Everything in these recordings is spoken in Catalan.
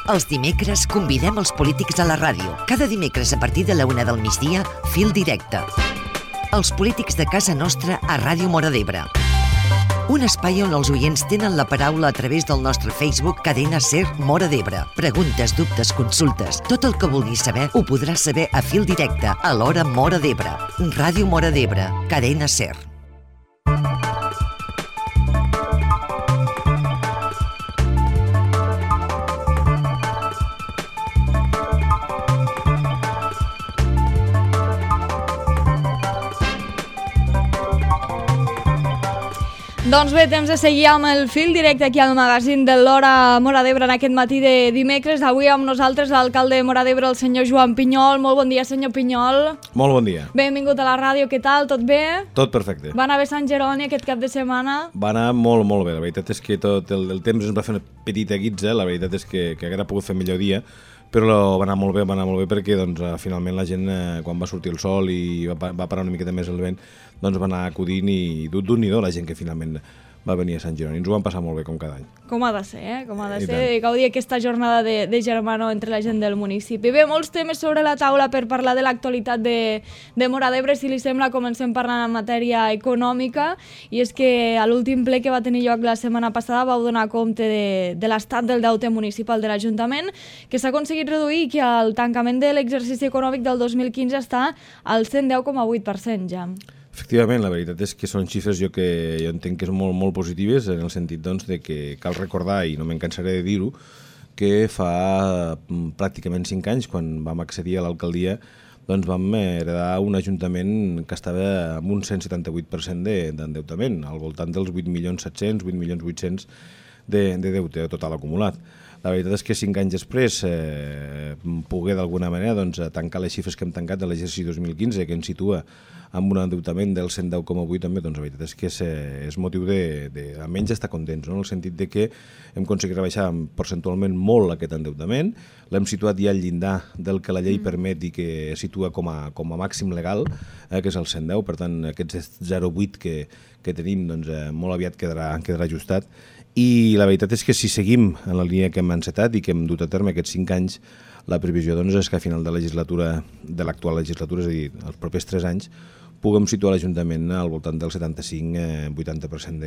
Els dimecres convidem els polítics a la ràdio. Cada dimecres a partir de la 1 del migdia, Fil Directe. Els polítics de casa nostra a Ràdio Móra d'Ebre. Un espai on els oients tenen la paraula a través del nostre Facebook Cadena SER Móra d'Ebre. Preguntes, dubtes, consultes, tot el que vulguis saber ho podràs saber a Fil Directe a l'hora Móra d'Ebre. Ràdio Móra d'Ebre, Cadena SER. Doncs bé, temps de seguir amb el fil directe aquí al magazín de l'Hora Móra d'Ebre en aquest matí de dimecres. Avui amb nosaltres l'alcalde de Móra d'Ebre, el senyor Joan Pinyol. Molt bon dia, senyor Pinyol. Molt bon dia. Benvingut a la ràdio, què tal? Tot bé? Tot perfecte. Va anar bé Sant Jeroni aquest cap de setmana? Va anar molt, molt bé. La veritat és que tot el temps ens va fer una petita guitza. La veritat és que haguera pogut fer millor dia, però va anar molt bé perquè doncs, finalment la gent, quan va sortir el sol i va parar una miqueta més el vent, doncs va anar acudint i d'un i do la gent que finalment va venir a Sant Jeroni. Ens ho vam passar molt bé, com cada any. Com ha de ser, com ha de ser, gaudir aquesta jornada de germanor entre la gent del municipi. Bé, molts temes sobre la taula per parlar de l'actualitat de Móra d'Ebre. Si li sembla, comencem parlant en matèria econòmica, i és que a l'últim ple que va tenir lloc la setmana passada vau donar compte de l'estat del deute municipal de l'Ajuntament, que s'ha aconseguit reduir i que al tancament de l'exercici econòmic del 2015 està al 110,8% ja. Efectivament, la veritat és que són xifres jo entenc que són molt, molt positives, en el sentit doncs, de que cal recordar, i no me'n cansaré de dir-ho, que fa pràcticament 5 anys, quan vam accedir a l'alcaldia, doncs vam heredar un ajuntament que estava amb un 178% d'endeutament, al voltant dels 8.700.000, 8.800.000 de deute total acumulat. La veritat és que 5 anys després poder d'alguna manera tancar les xifres que hem tancat de l'exercici 2015, que ens situa amb un endeutament del 110,8 també, doncs la veritat és que és motiu almenys estar contents, no? En el sentit de que hem aconseguit rebaixar percentualment molt aquest endeutament, l'hem situat ja al llindar del que la llei permet i que situa com a màxim legal, que és el 110, per tant aquest 0,8 que tenim doncs, molt aviat quedarà ajustat. I la veritat és que si seguim en la línia que hem encetat i que hem dut a terme aquests 5 anys, la previsió doncs, és que a final de l'actual legislatura, és a dir, els propers 3 anys, puguem situar l'Ajuntament al voltant del 75-80%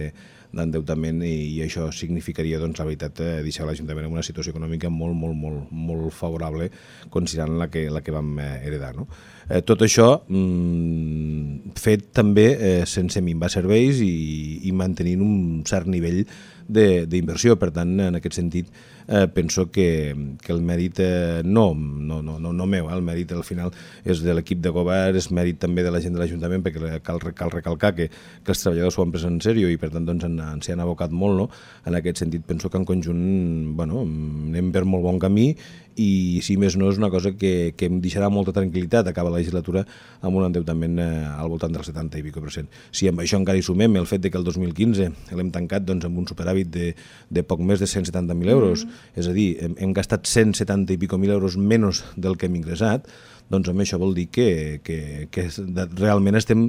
d'endeutament, i això significaria, doncs, la veritat, deixar l'Ajuntament en una situació econòmica molt, molt, molt, molt favorable, considerant la que vam heredar, no? Tot això fet també sense minvar serveis i mantenint un cert nivell d'inversió. Per tant, en aquest sentit, penso que el mèrit no meu, el mèrit al final és de l'equip de govern, és mèrit també de la gent de l'Ajuntament, perquè cal recalcar que els treballadors s'ho han pres en sèrio i per tant doncs, s'hi han abocat molt, no? En aquest sentit penso que en conjunt anem per molt bon camí, i si més no és una cosa que em deixarà molta tranquil·litat acabar la legislatura amb un endeutament al voltant del 70 i pico %. Si amb això encara hi sumem el fet que el 2015 l'hem tancat doncs, amb un superàvit de poc més de 170.000 euros, és a dir, hem gastat 170 i pico mil euros menys del que hem ingressat, doncs amb això vol dir que realment estem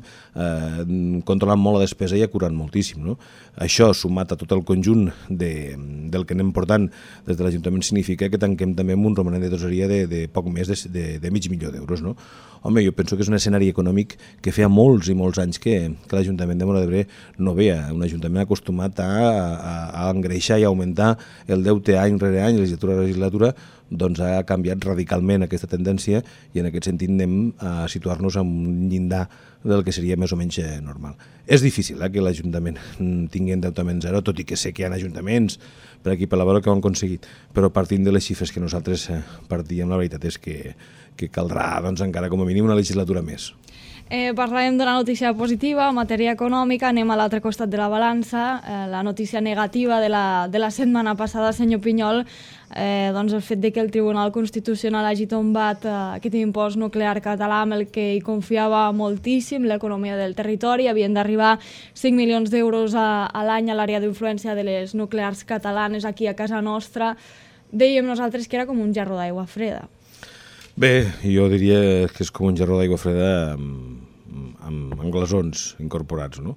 controlant molt la despesa i acurant moltíssim, no? Això, sumat a tot el conjunt del que anem portant des de l'Ajuntament, significa que tanquem també amb un romanent de tresoreria de poc més de $500.000, no? Home, jo penso que és un escenari econòmic que feia molts i molts anys que l'Ajuntament de Móra d'Ebre no veia. Un ajuntament acostumat a engreixar i augmentar el deute any rere any, legislatura a legislatura, doncs ha canviat radicalment aquesta tendència, i en aquest sentit anem a situar-nos en un llindar del que seria més o menys normal. És difícil que l'Ajuntament tingui endeutament zero, tot i que sé que hi ha ajuntaments per aquí per la vora que ho han aconseguit, però partint de les xifres que nosaltres partíem, la veritat és que caldrà doncs, encara com a mínim una legislatura més. Parlàvem d'una notícia positiva en matèria econòmica, anem a l'altre costat de la balança, la notícia negativa de la setmana passada, senyor Pinyol, doncs el fet de que el Tribunal Constitucional hagi tombat aquest impost nuclear català amb el que hi confiava moltíssim l'economia del territori. Havien d'arribar 5 milions d'euros a l'any a l'àrea d'influència de les nuclears catalanes aquí a casa nostra. Dèiem nosaltres que era com un jarró d'aigua freda. Bé, jo diria que és com un jarró d'aigua freda amb glaçons incorporats, no?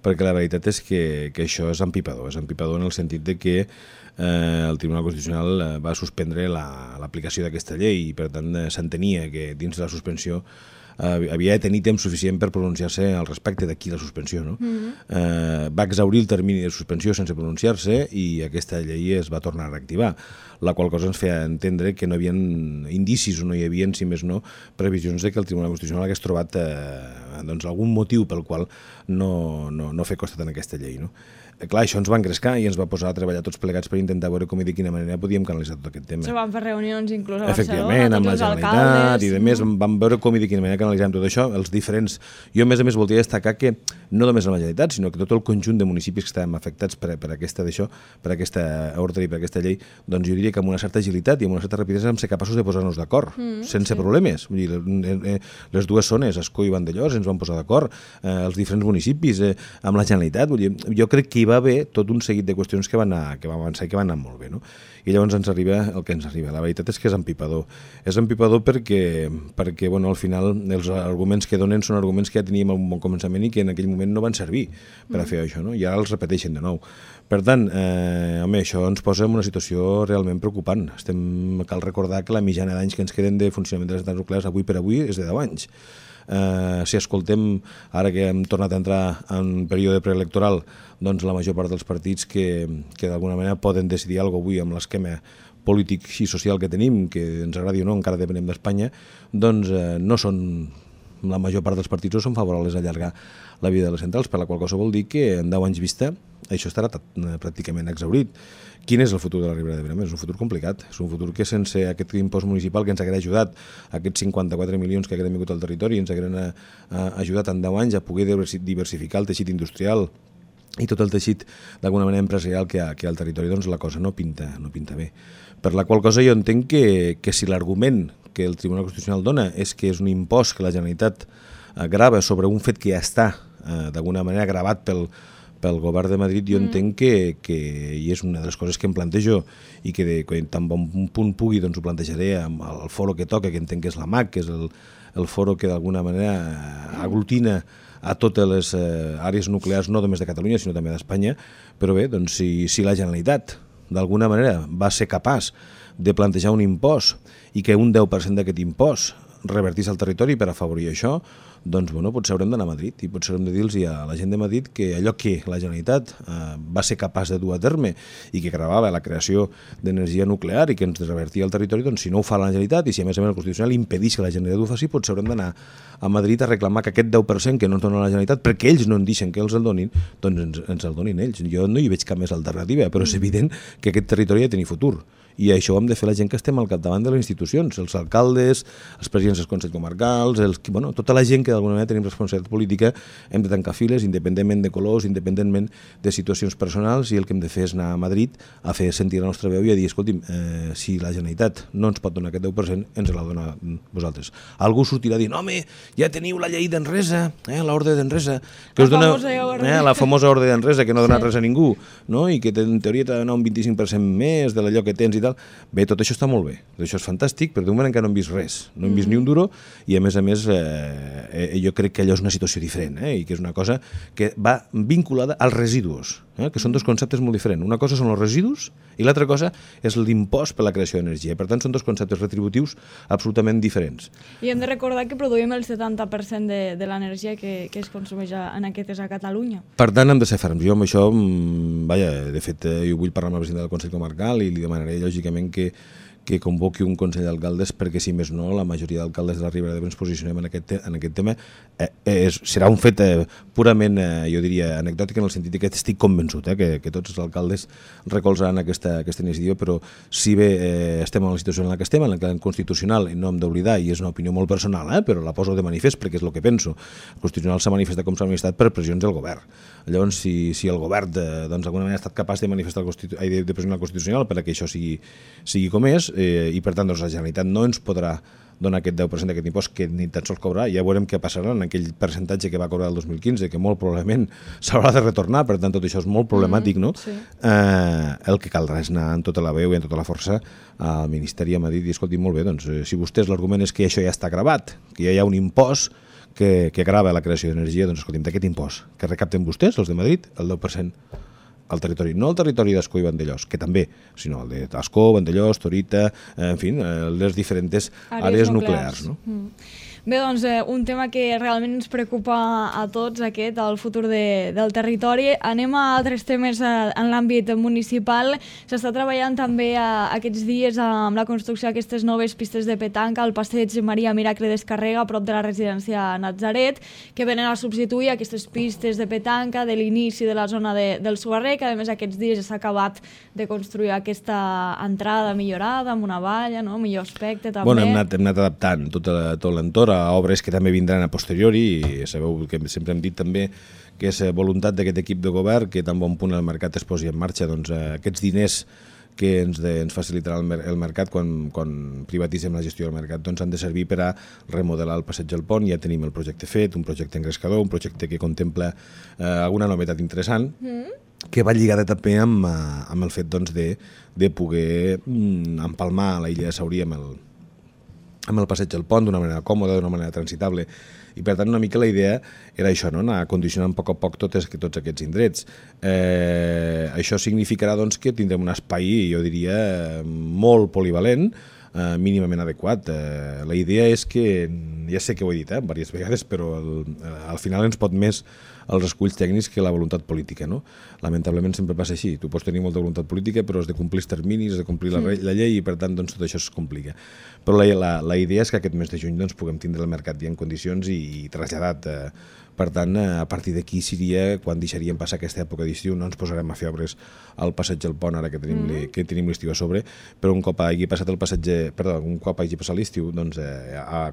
Perquè la veritat és que això és empipador en el sentit de que el Tribunal Constitucional va suspendre l'aplicació d'aquesta llei i per tant s'entenia que dins de la suspensió havia de tenir temps suficient per pronunciar-se al respecte d'aquí la suspensió. No? Va exhaurir el termini de suspensió sense pronunciar-se i aquesta llei es va tornar a reactivar, la qual cosa ens feia entendre que no hi havia indicis o no hi havia, si més no, previsions de que el Tribunal Constitucional hagués trobat algun motiu pel qual no fer costat en aquesta llei. No? Clar, això ens va engrescar i ens va posar a treballar tots plegats per intentar veure com i de quina manera podíem canalitzar tot aquest tema. Se van fer reunions inclús a Barcelona, efectivament, amb la Generalitat i de més, vam veure com i de quina manera canalitzàvem tot això, els diferents... Jo, a més voldria destacar que no només la Generalitat, sinó que tot el conjunt de municipis que estàvem afectats per aquesta ordre i per aquesta llei, doncs jo diria que amb una certa agilitat i amb una certa rapidesa vam ser capaços de posar-nos d'acord, sense problemes. Vull dir, les dues zones, Ascó i Vandellòs, ens van posar d'acord, els diferents municipis, amb la Generalitat. Vull dir, jo crec que hi va haver tot un seguit de qüestions que van avançar i que van anar molt bé. No? I llavors ens arriba el que ens arriba. La veritat és que és empipador. És empipador perquè bueno, al final els arguments que donen són arguments que ja teníem a un bon començament i que en aquell moment no van servir per a fer això, no? I ara els repeteixen de nou. Per tant, home, això ens posa en una situació realment preocupant. Cal recordar que la mitjana d'anys que ens queden de funcionament de les centrals nuclears avui per avui és de 10 anys. Si escoltem, ara que hem tornat a entrar en període preelectoral, doncs la major part dels partits que d'alguna manera poden decidir alguna cosa avui amb l'esquema polític i social que tenim, que ens agradi o no, encara depenem d'Espanya, doncs no són, la major part dels partits no són favorables a allargar la vida de les centrals, per la qual cosa vol dir que en 10 anys vista això estarà pràcticament exhaurit. Quin és el futur de la Ribera d'Ebre? És un futur complicat, és un futur que sense aquest impost municipal que ens hagués ajudat, aquests 54 milions que haguem vingut al territori, ens hagueren ajudat en 10 anys a poder diversificar el teixit industrial i tot el teixit d'alguna manera empresarial que hi ha al territori, doncs la cosa no pinta bé. Per la qual cosa jo entenc que si l'argument que el Tribunal Constitucional dona és que és un impost que la Generalitat grava sobre un fet que ja està d'alguna manera gravat pel govern de Madrid, jo entenc que i és una de les coses que em plantejo i que tan bon punt pugui doncs ho plantejaré amb el foro que toca, que entenc que és la MAC, que és el foro que d'alguna manera aglutina a totes les àrees nuclears, no només de Catalunya, sinó també d'Espanya. Però bé, doncs si la Generalitat d'alguna manera va ser capaç de plantejar un impost i que un 10% d'aquest impost revertís al territori per afavorir això, doncs bueno, potser haurem d'anar a Madrid i potser haurem de dir-los a la gent de Madrid que allò que la Generalitat va ser capaç de dur a terme i que gravava la creació d'energia nuclear i que ens revertia al territori, doncs si no ho fa la Generalitat i si a més el Constitucional impedeix que la Generalitat ho faci, potser haurem d'anar a Madrid a reclamar que aquest 10% que no ens dona la Generalitat, perquè ells no en deixen que els el donin, doncs ens el donin ells. Jo no hi veig cap més alternativa, però és evident que aquest territori ha de tenir futur. I això ho hem de fer la gent que estem al capdavant de les institucions, els alcaldes, els presidents dels consells comarcals, tota la gent que d'alguna manera tenim responsabilitat política, hem de tancar files, independentment de colors, independentment de situacions personals, i el que hem de fer és anar a Madrid a fer sentir la nostra veu i a dir, escolti'm, si la Generalitat no ens pot donar aquest 10%, ens la dona vosaltres. Algú sortirà dient, home, ja teniu la llei d'Enresa, l'ordre d'Enresa, que us dona la famosa ordre d'Enresa, que no dona res a ningú, no? I que en teoria t'ha de donar un 25% més de allò que tens i tal. Bé, tot això està molt bé, tot això és fantàstic, però de moment encara no hem vist res, no hem vist ni un duro, i a més jo crec que allò és una situació diferent, i que és una cosa que va vinculada als residus, que són dos conceptes molt diferents. Una cosa són els residus i l'altra cosa és l'impost per la creació d'energia. Per tant, són dos conceptes retributius absolutament diferents. I hem de recordar que produïm el 70% de l'energia que es consumeix en aquestes a Catalunya. Per tant, hem de ser ferms. Jo amb això, de fet, jo vull parlar amb el president del Consell Comarcal i li demanaré lògicament que convoqui un Consell d'Alcaldes perquè, si més no, la majoria d'alcaldes de la Ribera d'Ebre ens posicionem en aquest tema. Serà un fet purament, jo diria, anecdòtic, en el sentit que estic convençut que tots els alcaldes recolzaran aquesta iniciativa, però si bé estem en la situació en la que estem, en la que constitucional, no hem d'oblidar, i és una opinió molt personal, però la poso de manifest perquè és el que penso, el Constitucional s'ha manifestat com s'ha manifestat per pressions del govern. Llavors, si el govern d'alguna manera ha estat capaç de manifestar de pressionar el Constitucional per que això sigui com és, i per tant la Generalitat no ens podrà donar aquest 10% d'aquest impost que ni tan sols cobrarà, ja veurem què passarà en aquell percentatge que va cobrar el 2015, que molt probablement s'haurà de retornar, per tant tot això és molt problemàtic, no? Sí. El que caldrà és anar amb tota la veu i amb tota la força al Ministeri a Madrid i escolti, molt bé, doncs si vostès l'argument és que això ja està gravat, que ja hi ha un impost que grava la creació d'energia, doncs escolti'm, d'aquest impost que recapten vostès, els de Madrid, el 10%, al territori, no el territori d'Ascó i Vandellòs, que també, sinó el d'Ascó, Vandellòs, Torita, en fi, les diferents àrees nuclears. No? Bé, doncs, un tema que realment ens preocupa a tots, el futur del territori. Anem a altres temes en l'àmbit municipal. S'està treballant també aquests dies amb la construcció d'aquestes noves pistes de petanca al passeig Maria Miracle d'Escarrega, a prop de la residència Natzaret, que venen a substituir aquestes pistes de petanca de l'inici de la zona del Sugarrer, que a més aquests dies s'ha acabat de construir aquesta entrada millorada, amb una valla, no? Millor aspecte també. Bueno, hem anat adaptant tot l'entorn a obres que també vindran a posteriori, i sabeu que sempre hem dit també que és voluntat d'aquest equip de govern que tan bon punt el mercat es posi en marxa, doncs aquests diners que ens facilitarà el mercat quan privatitzem la gestió del mercat, doncs han de servir per a remodelar el passeig del Pont. Ja tenim el projecte fet, un projecte engrescador, un projecte que contempla alguna novetat interessant, que va lligada també amb el fet doncs, de poder empalmar la illa de Saurí amb el passeig del Pont d'una manera còmoda, d'una manera transitable, i per tant una mica la idea era això, no? Anar condicionant a poc tots aquests indrets. Això significarà doncs, que tindrem un espai, jo diria, molt polivalent, mínimament adequat. La idea és que, ja sé que ho he dit diverses vegades, però al final ens pot més els esculls tècnics que la voluntat política, no? Lamentablement sempre passa així. Tu pots tenir molta voluntat política, però has de complir els terminis, has de complir la llei, i per tant doncs, tot això es complica. Però la idea és que aquest mes de juny doncs, puguem tindre el mercat ja en condicions i traslladat. Per tant, a partir d'aquí seria quan deixaríem passar aquesta època d'estiu. No ens posarem a fer obres al passeig del Pont, ara que tenim l'estiu a sobre, però un cop hagi passat l'estiu, doncs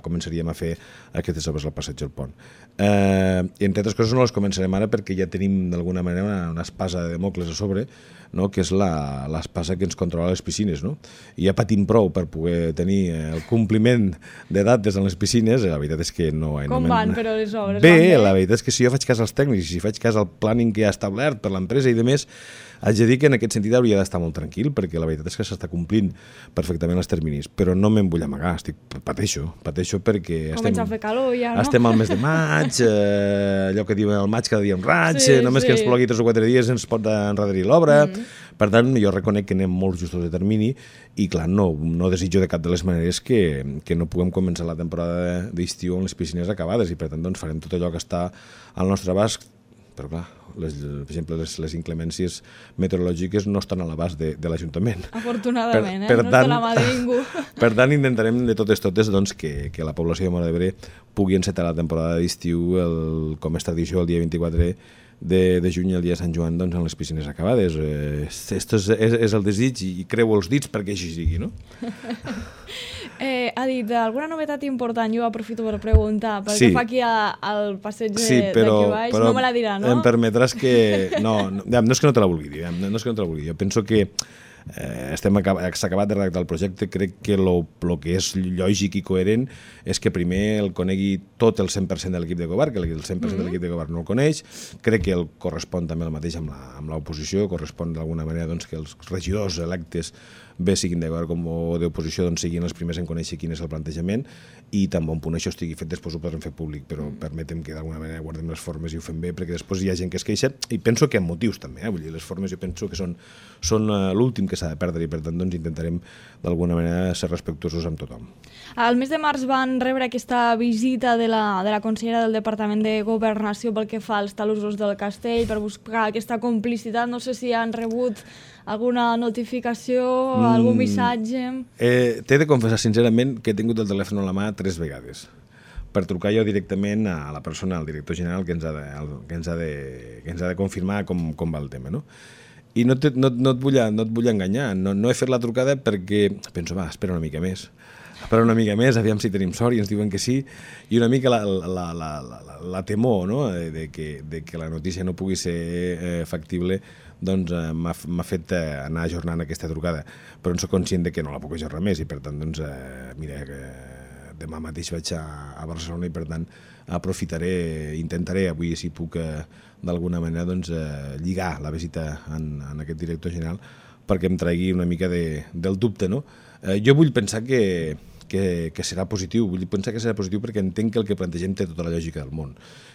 començaríem a fer aquestes obres al passeig del Pont. I entre altres coses no les començarem ara perquè ja tenim d'alguna manera una espasa de Mocles a sobre, no? Que és l'espasa que ens controla les piscines, no? I ja patim prou per poder tenir el compliment de dates en les piscines. La veritat és que no... Com van, però les obres? Bé, la veritat és que si jo faig cas als tècnics i si faig cas al planning que ha establert per l'empresa i demés, haig de dir que en aquest sentit hauria d'estar molt tranquil, perquè la veritat és que s'està complint perfectament els terminis, però no me'n vull amagar, pateixo perquè comença a fer calor ja, no? Estem al mes de maig, allò que diuen el maig cada dia un raig, només que ens plogui 3 o 4 dies ens pot enrederir l'obra. Per tant, jo reconec que anem molt justos de termini i, clar, no desitjo de cap de les maneres que no puguem començar la temporada d'estiu amb les piscines acabades, i per tant doncs, farem tot allò que està al nostre abast. Però clar, per exemple, les inclemències meteorològiques no estan a l'abast de l'Ajuntament. Afortunadament, no està a la mà de ningú. Per tant, intentarem de totes doncs, que la població de Móra d'Ebre pugui encetar la temporada d'estiu, com és tradició, el dia 24 de juny, el dia de Sant Joan, doncs, en les piscines acabades. Aquest és el desig i creu els dits perquè així sigui, no? Ha dit alguna novetat important, jo aprofito per preguntar, perquè fa aquí al passeig d'aquí baix, no me la dirà, no? Em permetràs que... No és que no te la vulgui dir, jo penso que s'ha acabat de redactar el projecte. Crec que el que és lògic i coherent és que primer el conegui tot el 100% de l'equip de govern, que el 100% de l'equip de govern no el coneix. Crec que el correspon també el mateix amb l'oposició, correspon d'alguna manera doncs, que els regidors electes, bé siguin de govern com d'oposició, doncs siguin els primers en conèixer quin és el plantejament, i tan bon punt això estigui fet, després ho podrem fer públic, però permetem que d'alguna manera guardem les formes i ho fem bé, perquè després hi ha gent que es queixa, i penso que amb motius també, vull dir, les formes jo penso que són l'últim que s'ha de perdre, i per tant doncs, intentarem d'alguna manera ser respectuosos amb tothom. Al mes de març van rebre aquesta visita de la consellera del Departament de Governació pel que fa als talussos del castell, per buscar aquesta complicitat. No sé si han rebut alguna notificació, algun missatge... T'he de confessar sincerament que he tingut el telèfon a la mà 3 vegades per trucar jo directament a la persona, al director general, que ens ha de confirmar com va el tema, no? I no et vull enganyar, no he fet la trucada perquè penso, espera una mica més, aviam si tenim sort i ens diuen que sí, i una mica la temor, no? de que la notícia no pugui ser factible, doncs m'ha fet anar ajornant aquesta trucada, però en soc conscient de que no la puc ajornar més, i per tant doncs, mira, demà mateix vaig a Barcelona, i per tant intentaré avui, si puc d'alguna manera doncs, lligar la visita en aquest director general perquè em tregui una mica del dubte, no? Jo vull pensar que que serà positiu. Vull dir, pensar que serà positiu perquè entenc que el que plantegem té tota la lògica del món.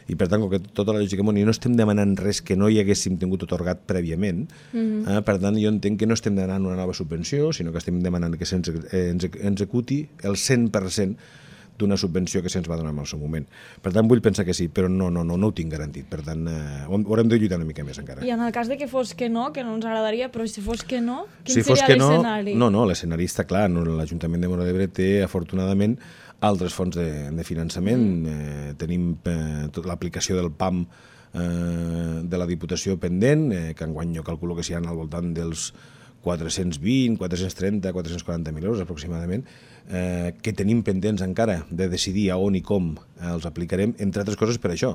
I per tant, com que tota la lògica del món i no estem demanant res que no hi haguéssim tingut atorgat prèviament, per tant, jo entenc que no estem demanant una nova subvenció, sinó que estem demanant que se'ns executi el 100% d'una subvenció que se'ns va donar en el seu moment. Per tant, vull pensar que sí, però no ho tinc garantit. Per tant, haurem de lluitar una mica més encara. I en el cas de que fos que no ens agradaria, però si fos que no, quin seria l'escenari? No, l'escenari està clar. L'Ajuntament de Móra d'Ebre té, afortunadament, altres fonts de finançament. Tenim l'aplicació del PAM de la Diputació pendent, que enguany jo calculo que s'hi ha al voltant dels 420, 430, 440.000 euros aproximadament, que tenim pendents encara de decidir a on i com els aplicarem, entre altres coses per això,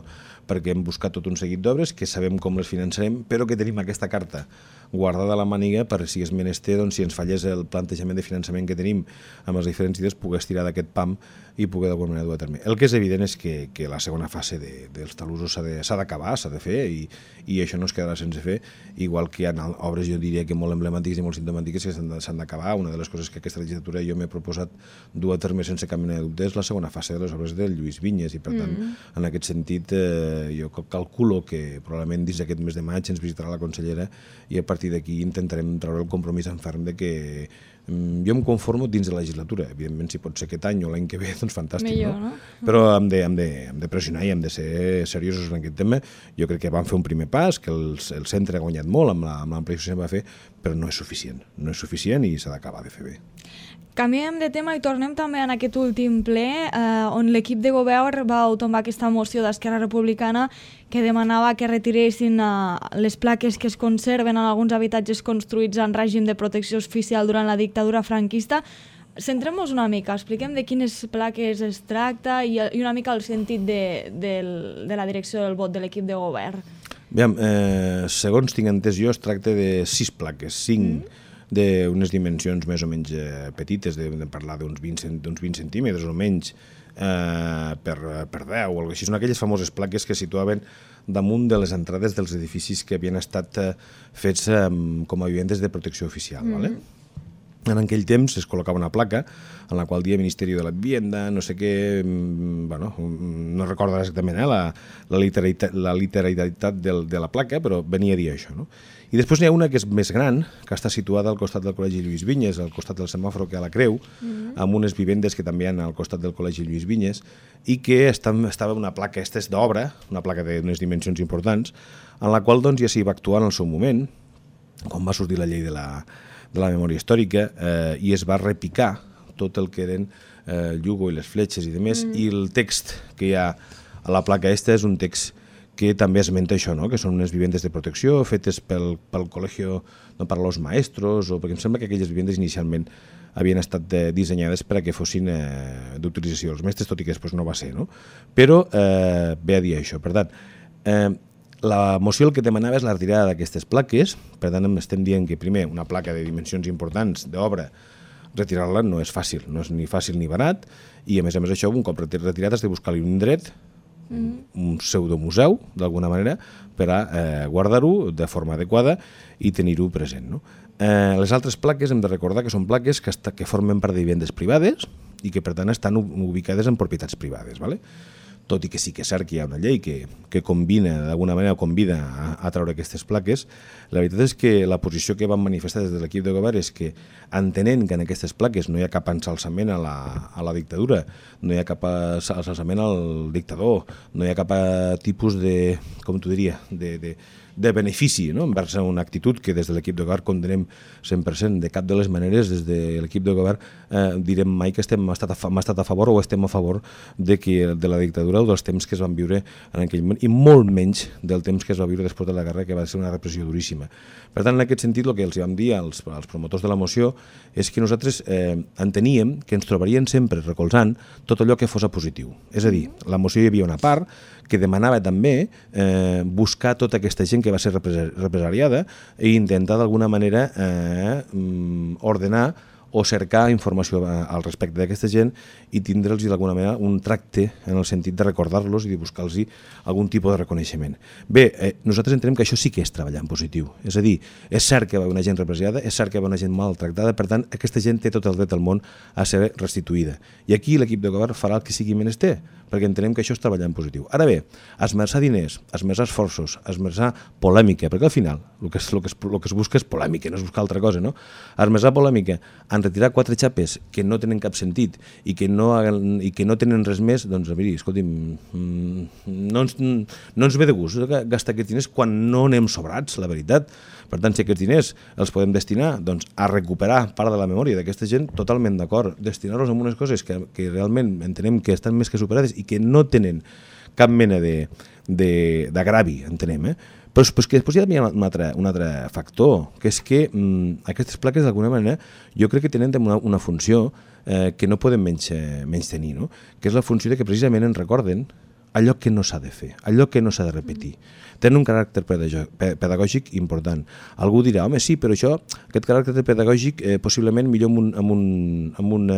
perquè hem buscat tot un seguit d'obres que sabem com les finançarem, però que tenim aquesta carta guardada a la màniga per si és menester, doncs, si ens fallés el plantejament de finançament que tenim amb les diferents idees, poder estirar d'aquest PAM i poder d'alguna manera dur a terme. El que és evident és que la segona fase dels talussos s'ha d'acabar, s'ha de fer, i això no es quedarà sense fer, igual que hi ha obres, jo diria que molt emblemàtiques i molt simptomàtiques que s'han d'acabar. Una de les coses que aquesta legislatura jo m'he proposat dur a terme sense cap mena de dubte és la segona fase de les obres del Lluís Vinyes, i per tant, en aquest sentit, jo calculo que probablement dins d'aquest mes de maig ens visitarà la consellera i a partir d'aquí intentarem treure el compromís en ferm de que jo em conformo dins de la legislatura. Evidentment, si pot ser aquest any o l'any que ve, doncs fantàstic, millor, no? Però hem de pressionar i hem de ser seriosos en aquest tema. Jo crec que vam fer un primer pas, que el centre ha guanyat molt amb l'ampliació que va fer, però no és suficient. No és suficient i s'ha d'acabar de fer bé. Canviem de tema i tornem també en aquest últim ple on l'equip de govern va tombar aquesta moció d'Esquerra Republicana que demanava que retiressin les plaques que es conserven en alguns habitatges construïts en règim de protecció oficial durant la dictadura franquista. Centrem-nos una mica, expliquem de quines plaques es tracta i una mica el sentit de la direcció del vot de l'equip de govern. Aviam, segons tinc entès jo, es tracta de 6 plaques, 5 d'unes dimensions més o menys petites, de parlar d'uns 20 centímetres o menys per 10 o alguna cosa així. Són aquelles famoses plaques que situaven damunt de les entrades dels edificis que havien estat fets com a vivendes de protecció oficial. ¿Vale? En aquell temps es col·locava una placa en la qual dia Ministeri de la Vivienda, no sé què, bueno, no recordo exactament la literalitat de la placa, però venia a dir això, no? I després n'hi ha una que és més gran, que està situada al costat del Col·legi Lluís Vinyes, al costat del semàfor que hi ha a la Creu, amb unes vivendes que també hi ha al costat del Col·legi Lluís Vinyes, i que estava una placa, aquesta és d'obra, una placa d'unes dimensions importants, en la qual doncs, ja s'hi va actuar en el seu moment, quan va sortir la llei de la memòria històrica, i es va repicar tot el que eren el llugó i les fletxes i demés, i el text que hi ha a la placa és un text que també esmenta això, no? Que són unes vivendes de protecció fetes pel col·legi, no, per als maestros, o perquè em sembla que aquelles vivendes inicialment havien estat dissenyades per a que fossin d'utilització dels mestres, tot i que després no va ser, no? Però ve a dir això. Per tant, la moció el que demanava és la retirada d'aquestes plaques, per tant estem dient que primer una placa de dimensions importants d'obra, retirar-la no és fàcil, no és ni fàcil ni barat, i a més això, un cop retirat has de buscar-li un indret, un pseudomuseu, d'alguna manera, per a guardar-ho de forma adequada i tenir-ho present, no? Les altres plaques hem de recordar que són plaques que formen part de vivendes privades i que per tant estan ubicades en propietats privades, ¿vale? Tot i que sí que és cert que hi ha una llei que combina, d'alguna manera convida a treure aquestes plaques, la veritat és que la posició que van manifestar des de l'equip de govern és que, entenent que en aquestes plaques no hi ha cap ensalçament a la dictadura, no hi ha cap ensalçament al dictador, no hi ha cap tipus de, com t'ho diria, de benefici, no? Envers una actitud que des de l'equip de govern condenem 100%. De cap de les maneres, des de l'equip de govern direm mai que hem estat a favor o estem a favor de la dictadura o dels temps que es van viure en aquell moment, i molt menys del temps que es va viure després de la guerra, que va ser una repressió duríssima. Per tant, en aquest sentit, el que els vam dir als promotors de la moció és que nosaltres enteníem que ens trobarien sempre recolzant tot allò que fos a positiu. És a dir, la moció hi havia una part que demanava també buscar tota aquesta gent que va ser represaliada i intentar d'alguna manera ordenar o cercar informació al respecte d'aquesta gent i tindre'ls d'alguna manera un tracte en el sentit de recordar-los i de buscar-los algun tipus de reconeixement. Bé, nosaltres entenem que això sí que és treballar en positiu. És a dir, és cert que va haver una gent represaliada, és cert que va haver una gent maltractada, per tant, aquesta gent té tot el dret del món a ser restituïda. I aquí l'equip de govern farà el que sigui menester, perquè entenem que això és treballar en positiu. Ara bé, esmerçar diners, esmerçar esforços, esmerçar polèmica, perquè al final el que es busca és polèmica, no es busca altra cosa, no? Esmerçar polèmica en retirar 4 xapes que no tenen cap sentit i que no tenen res més, doncs, a veure, escolti'm, no ens ve de gust gastar aquests diners quan no anem sobrats, la veritat. Per tant, si aquests diners els podem destinar doncs, a recuperar part de la memòria d'aquesta gent, totalment d'acord. Destinar-los a unes coses que realment entenem que estan més que superades i que no tenen cap mena d'agravi, entenem, Però que després hi ha un altre factor, que és que aquestes plaques, d'alguna manera, jo crec que tenen una funció que no podem menys tenir, no? Que és la funció de que precisament ens recorden allò que no s'ha de fer, allò que no s'ha de repetir. Tenen un caràcter pedagògic important. Algú dirà, home, sí, però aquest caràcter pedagògic possiblement millor en un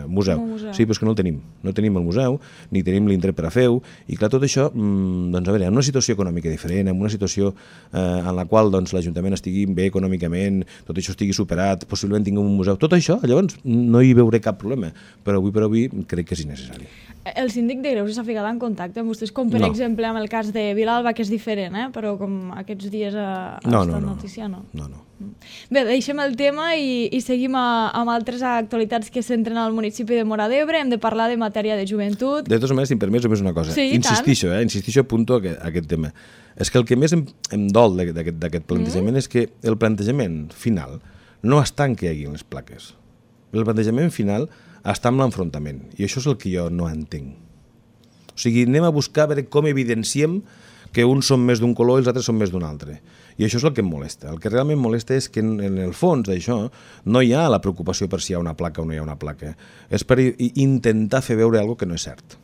museu. Sí, però és que no el tenim. No tenim el museu, ni tenim l'indret per a fer-ho, i clar, tot això, doncs, a veure, en una situació econòmica diferent, en una situació en la qual l'Ajuntament estigui bé econòmicament, tot això estigui superat, possiblement tinguem un museu, tot això, llavors no hi veuré cap problema, però avui per avui crec que és innecessari. El síndic de Greuges s'ha ficat en contacte amb vostès, com per exemple amb el cas de Vilalba, que és diferent, però com aquests dies ha estat notícia, no? No. Bé, deixem el tema i seguim amb altres actualitats que centren al municipi de Móra d'Ebre. Hem de parlar de matèria de joventut. De totes maneres, si em permets, només una cosa. Sí, insistixo, apunto aquest tema. És que el que més em dol d'aquest plantejament és que el plantejament final no està en què hi hagi les plaques. El plantejament final està en l'enfrontament, i això és el que jo no entenc. O sigui, anem a buscar a veure com evidenciem que uns són més d'un color i els altres són més d'un altre. I això és el que em molesta. El que realment molesta és que en el fons d'això no hi ha la preocupació per si hi ha una placa o no hi ha una placa. És per intentar fer veure alguna cosa que no és cert.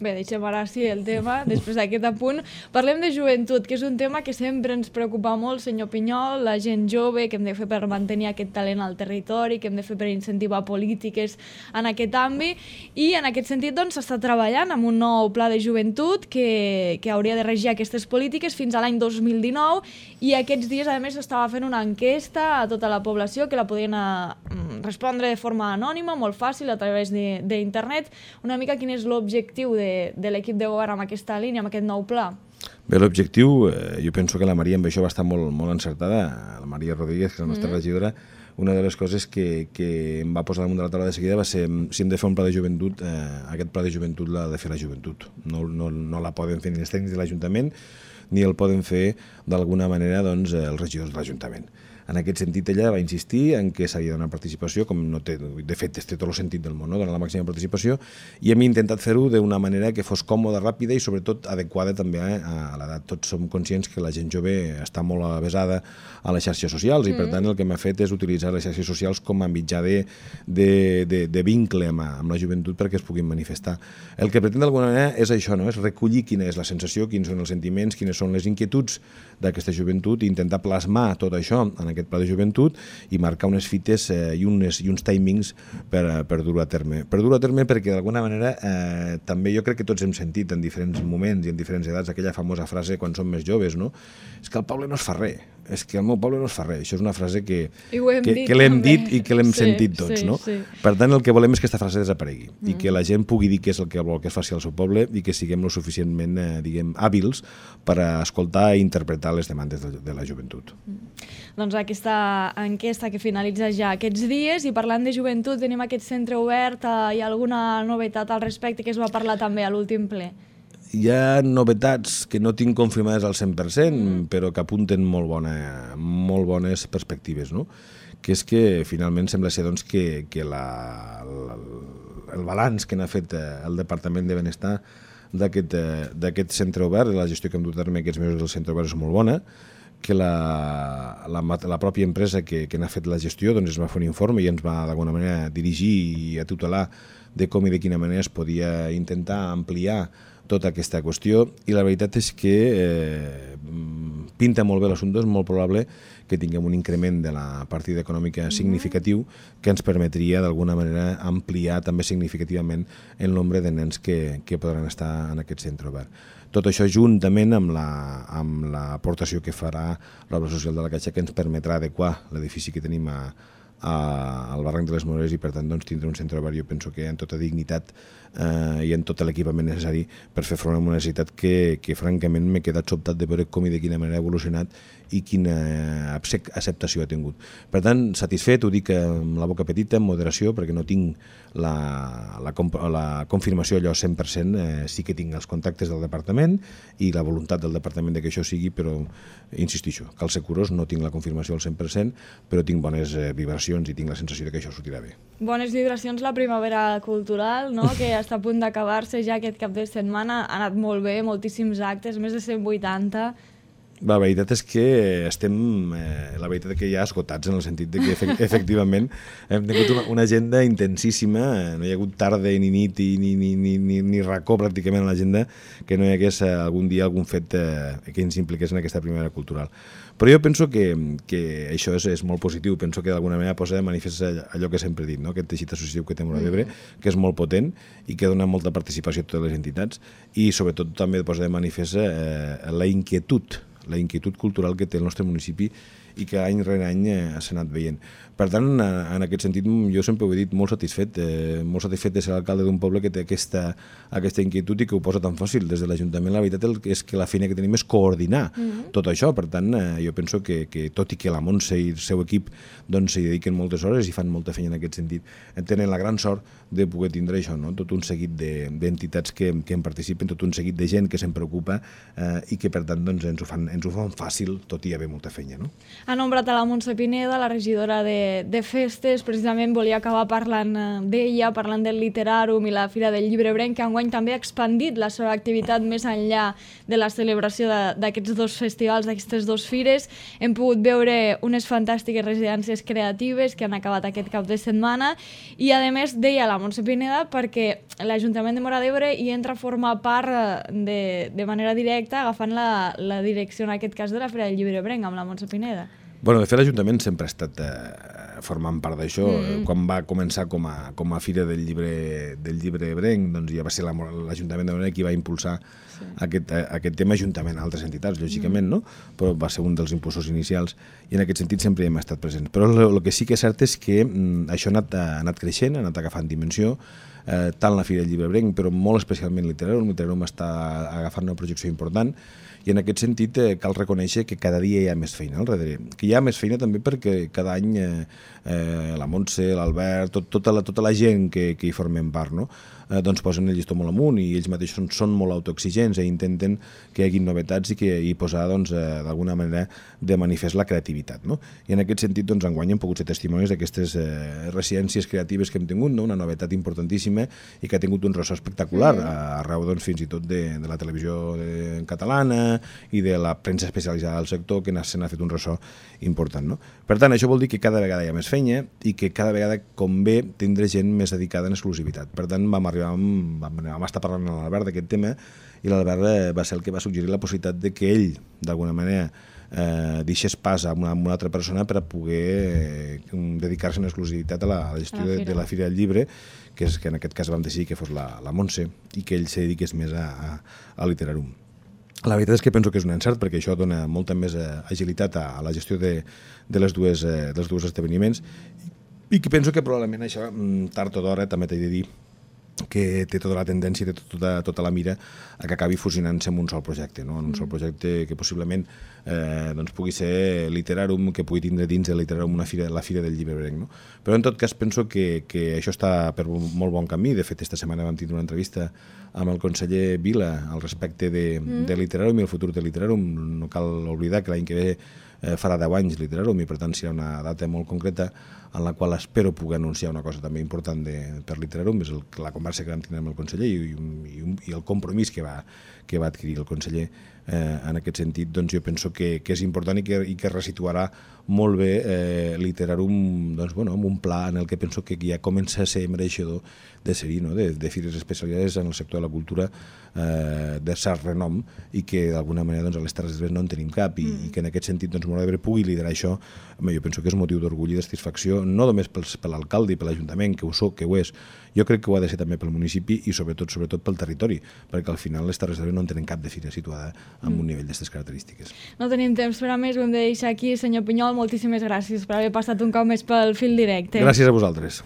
Bé, deixem ara sí el tema, després d'aquest apunt. Parlem de joventut, que és un tema que sempre ens preocupa molt, senyor Pinyol, la gent jove, que hem de fer per mantenir aquest talent al territori, que hem de fer per incentivar polítiques en aquest àmbit, i en aquest sentit doncs s'està treballant amb un nou pla de joventut que hauria de regir aquestes polítiques fins a l'any 2019, i aquests dies a més s'estava fent una enquesta a tota la població que la podien respondre de forma anònima, molt fàcil, a través d'internet. Una mica quin és l'objectiu de l'equip de govern amb aquesta línia, amb aquest nou pla? Bé, l'objectiu, jo penso que la Maria amb això va estar molt encertada, la Maria Rodríguez, que és la nostra regidora. Una de les coses que em va posar damunt de la taula de seguida va ser si hem de fer un pla de joventut, aquest pla de joventut l'ha de fer la joventut. No la poden fer ni els tècnics de l'Ajuntament, ni el poden fer d'alguna manera els regidors de l'Ajuntament. En aquest sentit, ella va insistir en que s'havia de donar participació, com no té, de fet, té tot el sentit del món, donar la màxima participació, i hem intentat fer-ho d'una manera que fos còmoda, ràpida i, sobretot, adequada també a l'edat. Tots som conscients que la gent jove està molt avesada a les xarxes socials i, per tant, el que m'ha fet és utilitzar les xarxes socials com a mitjà de vincle amb la joventut perquè es puguin manifestar. El que pretén d'alguna manera és això, és recollir quina és la sensació, quins són els sentiments, quines són les inquietuds d'aquesta joventut i intentar plasmar tot això en aquest pla de joventut i marcar unes fites i uns timings per dur-ho a terme. Per dur-ho a terme perquè d'alguna manera també jo crec que tots hem sentit en diferents moments i en diferents edats aquella famosa frase quan som més joves, no? És que el poble no es fa res, és que el meu poble no es fa res. Això és una frase que l'hem dit i que l'hem sentit tots, no? Per tant, el que volem és que aquesta frase desaparegui i que la gent pugui dir què és el que vol que es faci al seu poble i que siguem lo suficientment, diguem, hàbils per a escoltar i interpretar les demandes de la joventut. Doncs aquesta enquesta que finalitza ja aquests dies, i parlant de joventut, tenim aquest centre obert, hi ha alguna novetat al respecte que es va parlar també a l'últim ple? Hi ha novetats que no tinc confirmades al 100%, però que apunten molt bones perspectives, no? Que és que finalment sembla ser doncs, que el balanç que n'ha fet el Departament de Benestar d'aquest centre obert, la gestió que hem dut a terme aquests mesos del centre obert és molt bona, que la pròpia empresa que n'ha fet la gestió doncs, es va fer un informe i ens va d'alguna manera dirigir i a tutelar de com i de quina manera es podia intentar ampliar tota aquesta qüestió, i la veritat és que pinta molt bé l'assumpte, és molt probable que tinguem un increment de la partida econòmica significatiu que ens permetria d'alguna manera ampliar també significativament el nombre de nens que podran estar en aquest centre obert. Tot això juntament amb l'aportació que farà l'obra social de la Caixa, que ens permetrà adequar l'edifici que tenim al barranc de les Moreres i per tant doncs, tindre un centre obert, jo penso que en tota dignitat i en tot l'equipament necessari per fer front a una necessitat que francament m'he quedat sobtat de veure com i de quina manera ha evolucionat i quina acceptació ha tingut. Per tant, satisfet, ho dic amb la boca petita, amb moderació, perquè no tinc la confirmació allò 100%, sí que tinc els contactes del departament i la voluntat del departament de que això sigui, però insistixo, cal ser curós, no tinc la confirmació al 100%, però tinc bones vibracions i tinc la sensació de que això sortirà bé. Bones vibracions la primavera cultural, no? Que està a punt d'acabar-se ja aquest cap de setmana, ha anat molt bé, moltíssims actes, més de 180. La veritat és que estem, la veritat és que ja esgotats en el sentit de que efectivament hem tingut una agenda intensíssima, no hi ha hagut tarda ni nit ni racó pràcticament a l'agenda que no hi hagués algun dia algun fet que ens impliqués en aquesta primavera cultural. Però jo penso que això és molt positiu, penso que d'alguna manera posa de manifest allò que sempre he dit, no? Aquest teixit associatiu que té Móra d'Ebre, que és molt potent i que dona molta participació a totes les entitats i sobretot també posa de manifest la inquietud cultural que té el nostre municipi i que any rere any s'ha anat veient. Per tant, en aquest sentit, jo sempre ho he dit, molt satisfet de ser l'alcalde d'un poble que té aquesta inquietud i que ho posa tan fàcil. Des de l'Ajuntament, la veritat és que la feina que tenim és coordinar tot això. Per tant, jo penso que tot i que la Montse i el seu equip s'hi dediquen moltes hores i fan molta feina en aquest sentit, tenen la gran sort de poder tindre això, no? Tot un seguit d'entitats que en participen, tot un seguit de gent que se'n preocupa i que, per tant, ens ho fan fàcil, tot i haver molta feina, no? Ha nombrat a la Montse Pineda, la regidora de festes, precisament volia acabar parlant d'ella, parlant del Literàrum i la Fira del Llibre Ebrenc, que enguany també ha expandit la seva activitat més enllà de la celebració d'aquests dos festivals, d'aquestes dues fires. Hem pogut veure unes fantàstiques residències creatives que han acabat aquest cap de setmana i, a més, deia la Montse Pineda perquè l'Ajuntament de Móra d'Ebre hi entra a formar part de manera directa, agafant la direcció, en aquest cas, de la Fira del Llibre Ebrenc, amb la Montse Pineda. Bueno, de fet, l'Ajuntament sempre ha estat formant part d'això. Quan va començar com a Fira del Llibre Ebrenc, doncs ja va ser l'Ajuntament de Móra qui va impulsar aquest tema juntament a altres entitats, lògicament, no? Però va ser un dels impulsors inicials i en aquest sentit sempre hi hem estat presents. Però el que sí que és cert és que això ha anat creixent, ha anat agafant dimensió, tant la Fira del Llibre Ebrenc, però molt especialment Literàrum. Literàrum està agafant una projecció important i en aquest sentit cal reconèixer que cada dia hi ha més feina al darrere. Que hi ha més feina també perquè cada any la Montse, l'Albert, tota la gent que hi formem part, no? Doncs posen el llistó molt amunt i ells mateixos són molt autoexigents i intenten que hi hagi novetats i posar d'alguna manera de manifest la creativitat, no? I en aquest sentit enguany hem pogut ser testimonis d'aquestes residències creatives que hem tingut, no? Una novetat importantíssima i que ha tingut un ressò espectacular arreu fins i tot de la televisió catalana i de la premsa especialitzada del sector, que se n'ha fet un ressò important, no? Per tant, això vol dir que cada vegada hi ha més feina i que cada vegada convé tindre gent més dedicada en exclusivitat. Per tant, vam estar parlant amb l'Albert d'aquest tema i l'Albert va ser el que va suggerir la possibilitat de que ell, d'alguna manera, deixés pas a una altra persona per a poder dedicar-se en exclusivitat a la gestió de la Fira del Llibre, que en aquest cas vam decidir que fos la Montse i que ell se dediqués més a Literàrum. La veritat és que penso que és un encert perquè això dona molta més agilitat a la gestió dels dos esdeveniments i que penso que probablement això, tard o d'hora, també t'he de dir que té tota la tendència i té tota la mira a que acabi fusionant-se en un sol projecte, no? En un sol projecte que possiblement pugui ser Literàrum, que pugui tindre dins de Literàrum la Fira del Llibre Ebrenc, no? Però en tot cas penso que això està per molt bon camí. De fet, esta setmana vam tindre una entrevista amb el conseller Vila al respecte de Literàrum i el futur de Literàrum. No cal oblidar que l'any que ve farà 10 anys Literarum i per tant serà una data molt concreta en la qual espero poder anunciar una cosa també important per Literarum, és la conversa que vam tenir amb el conseller i el compromís que va adquirir el conseller. En aquest sentit, doncs jo penso que és important i que resituarà molt bé Literarum amb un pla en el que penso que ja comença a ser mereixedor de ser-hi, de fires especialitzades en el sector de la cultura de cert renom i que d'alguna manera a les Terres d'Ebre no en tenim cap i que en aquest sentit Móra d'Ebre pugui liderar això, jo penso que és motiu d'orgull i de satisfacció, no només per l'alcalde i per l'Ajuntament, que ho és, jo crec que ho ha de ser també pel municipi i sobretot pel territori, perquè al final les Terres d'Ebre no en tenen cap de fira situada amb un nivell d'aquestes característiques. No tenim temps per a més, ho hem de deixar aquí. Senyor Pinyol, moltíssimes gràcies per haver passat un cop més pel fil directe. Gràcies a vosaltres.